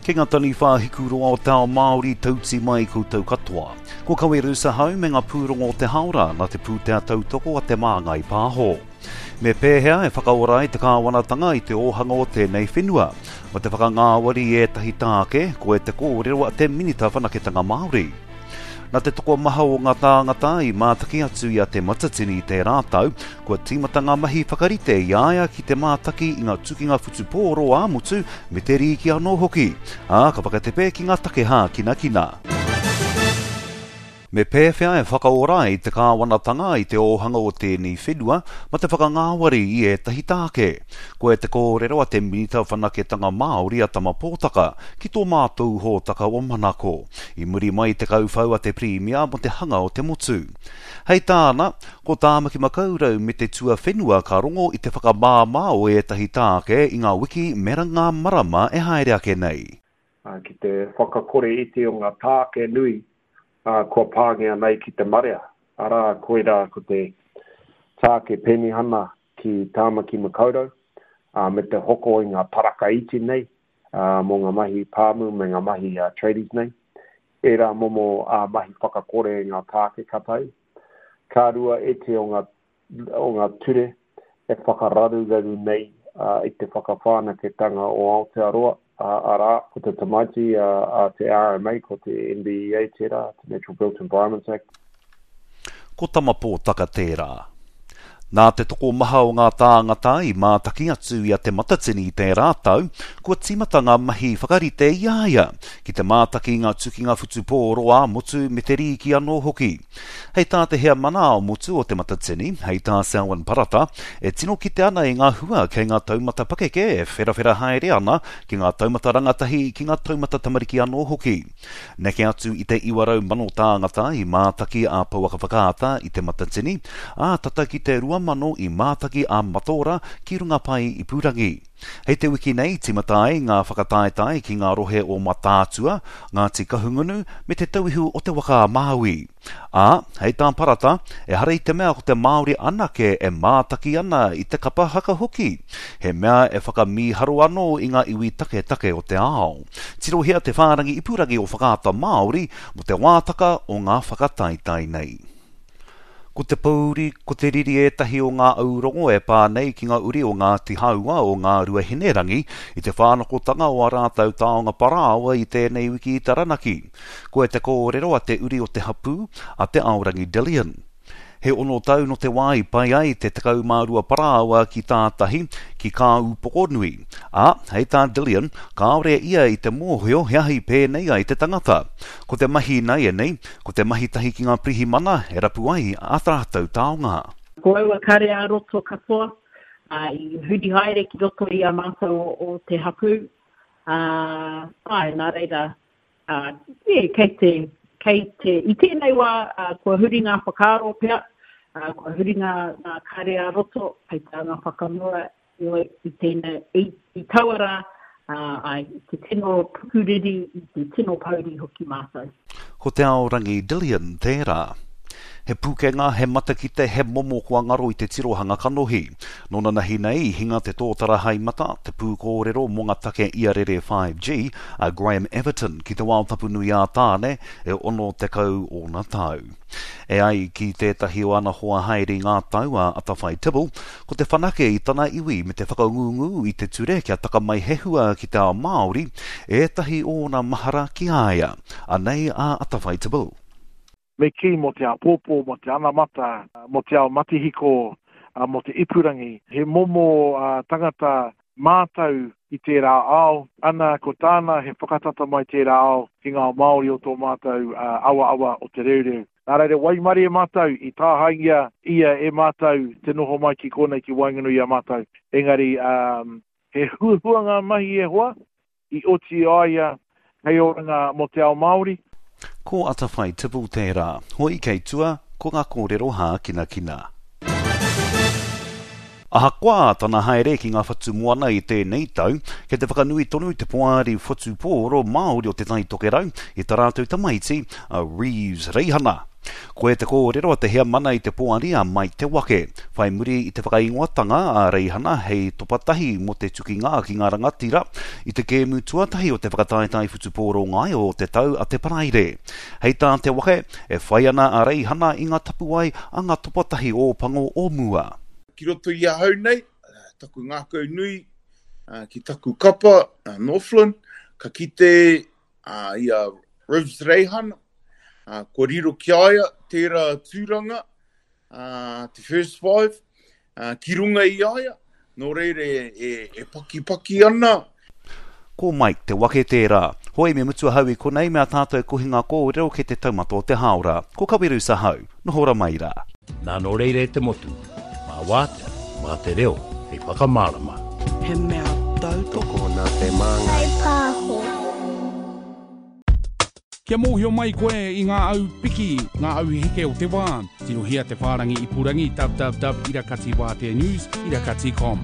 Ki ngā taniwha hikuroa o te ao Māori tauti mai koutou katoa. Ko Kaweru Sahau me ngā pūrongo o te haora nā te pūtea tautoko a Te Māngai Pāho. Me pēhea e whakaora ai te kāwanatanga i te ōhanga o tēnei whenua? Ma te whakangāwari i ētahi tāke, koe te kōrero a te Minita Whanaketanga Māori. Nā te tokomaha o ngā tāngata i mātaki atu i a Te Matatini i tērā tau, kua tīmata ngā mahi whakarite i a ia ki te mātaki i ngā tukinga whutupōro ā-motu me te rīki anō hoki, ā, ka whakatepe ki ngā take hākinakina. Me pēwhea e whakaora ai te kāwanatanga i te ōhanga o tēnei whenua ma te whakangāwari i ētahi tāke? Koia te kōrero a te Minita Whanaketanga Māori a Tama Pōtaka ki tō mātou hōtaka o Manako i muri mai i te kauwhau a te Pirimia mō te hanga o te motu. Hei tāna, ko Tāmaki Makaurau me te tuawhenua ka rongo i te whakamāmā o ētahi tāke i ngā wiki me ngā marama e haere ake nei. Ki te whakakore iti o ngā tāke nui kua pāngia nei ki te marea, arā, koirā ko te tāke penihana ki Tāmaki Makaurau, me te hoko i ngā taraka iti nei mō ngā mahi pāmu me ngā mahi tradies nei. Ērā momo mahi whakakore i ngā tāke ka tae. Ka rua ētehi o ngā, o ngā ture e whakararuraru nei i te whakawhanaketanga o Aotearoa, arā, ko te tamaiti a te RMA, ko te NBEA tērā, te Natural Built Environments Act. Ko Tamapōtaka tērā. Nā te tokomaha o ngā tāngata i mātaki atu i a Te Matatini i tērā tau, kua tīmata ngā mahi whakarite i a ia ki te mātaki i ngā tukinga whutupōro ā-motu me te rīki anō hoki. Hei tā te heamana ā-motu o Te Matatini, hei tā Selwyn Parata, e tino kite ana i ngā hua kei ngā taumata pakeke e wherawhera haere ana ki ngā taumata rangatahi, ki ngā taumata tamariki anō hoki. Neke atu i te 900,000 tāngata i mātaki a Pouaka Whakaata i Te Matatini, ā, tata ki te 2,000 i mātaki a Mataora ki runga pae ipurangi. Hei te wiki nei tīmata ai ngā whakataetae ki ngā rohe o Mataatua, Ngāti Kahungunu me Te Tauihu o Te Waka-a-Māui. Ā, hei tā Parata, ehara i te mea ko te Māori anake e mātaki ana i te kapa haka hoki, he mea e whakamīharo anō i ngā iwi taketake o te ao. Tirohia te whārangi ipurangi o Whakaata Māori mō te wātaka o ngā whakataetae nei. Ko te pōuri, ko te riri ētahi o ngā aurongo e pā nei ki ngā uri o Ngāti Hāua o Ngāruahinerangi i te whānakotanga o ā rātou taonga parāoa i tēnei wiki i Taranaki. Koe te kōrero a te uri o te hapū, a Te Aorangi Dillion. He ono tau nō te wā i pai ai te 12 parāoa ki tātahi, ki Kāūpokonui. Ā, hei tā Dillion, kāore ia i te mōhio he aha i pēnei ai te tangata. Ko te mahi ināianei, ko te mahi tahi ki ngā pirihimana e rapu ai ā rātou taonga. Ko aua kare ā-roto katoa, ā, i huri haere ki roto i a mātou o te hapū, ā, āe, nā reira, Ā, yeah, kei te, kei te, i tēnei wā, ā, kua huri ngā whakaaro pea, ā, kua huri ngā, ngā kare ā-roto, kei te anga whakamua, heoi, i tēnei, i, i taua rā, ā, āe, i te tino pukuriri, i te tino pouri hoki mātou. Ko Te Aorangi Dillion tērā. He pūkenga, he matakite, he momo kua ngaro i te tirohanga kanohi. Nō nanahi nei i hinga te tōtara haemata, te pūkōrero mō ngā take iarere 5G, a Graham Everton ki te wao tapu nui ā Tāne, e 60 ōna tau. E ai ki tētahi o ana hoa haere i ngā tau, a Atawhai Tibble, ko te whanake i tana iwi me te whakangungu i te ture kia taka mai he hua ki te ao Māori, ētahi o ōna mahara ki a ia. Anei a Atawhai Tibble. Me kī mō te āpōpō, mō te anamata, mō te ao matihiko, mō te ipurangi. He momo tangata mātau i tērā ao, ana ko tāna he whakatata mai tērā ao ki ngā ao Māori o tō mātou awaawa o Te Reureu. Nā reira waimarie mātou i tāhaengia ia e mātou te noho mai ki kōnei ki waenganui i a mātou. Engari he huahua ngā mahi e hoa, i oti a ia hei oranga mō te ao Māori. Ko Atawhai Tibble tērā. Hoi kei tua, ko ngā kōrero hākinakina. Ahakoa tana haere ki ngā whatu moana i tēnei tau, kei te whakanui tonu te Poari Whutupōro Māori o Te Tai Tokerau i tā rātou tamaiti, a Reeves Reihana. Koia te kōrero a te heamana i te poari a Mike Te Wake, whai muri i te whakaingoatanga a Reihana hei topa tahi mō te tukinga ki ngā rangatira i te kēmu tuatahi o te whakataetae whutupōro ngaio o te tau a te Paraire. Hei tā Te Wake, e whai ana a Reihana i ngā tapuwae a ngā topa tahi Ōpango o mua. Ki roto i ahau nei, taku ngākau nui ki taku kapa, Northland, ka kite i a Rivs Reihana, kua riro ki a ia tērā tūranga, te first five, ki runga i a ia, nō reira e, e pakipaki ana. Ko Mike Te Wake tērā. Hoi me mutu ahau i konei me a tātou kohinga kōrero kei te taumata o te hāora. Ko Kawerus ahau. Noho ra mai rā. Nā nō reira e te motu, mā wātea, mā te reo hei whakamārama. He mea tautoko. Tokona te māngai. Pāho. Kia mōhio mai koe i ngā au piki, ngā au heke o te wā, tirohia te whārangi ipurangi www irakatiwāteanews irakati com.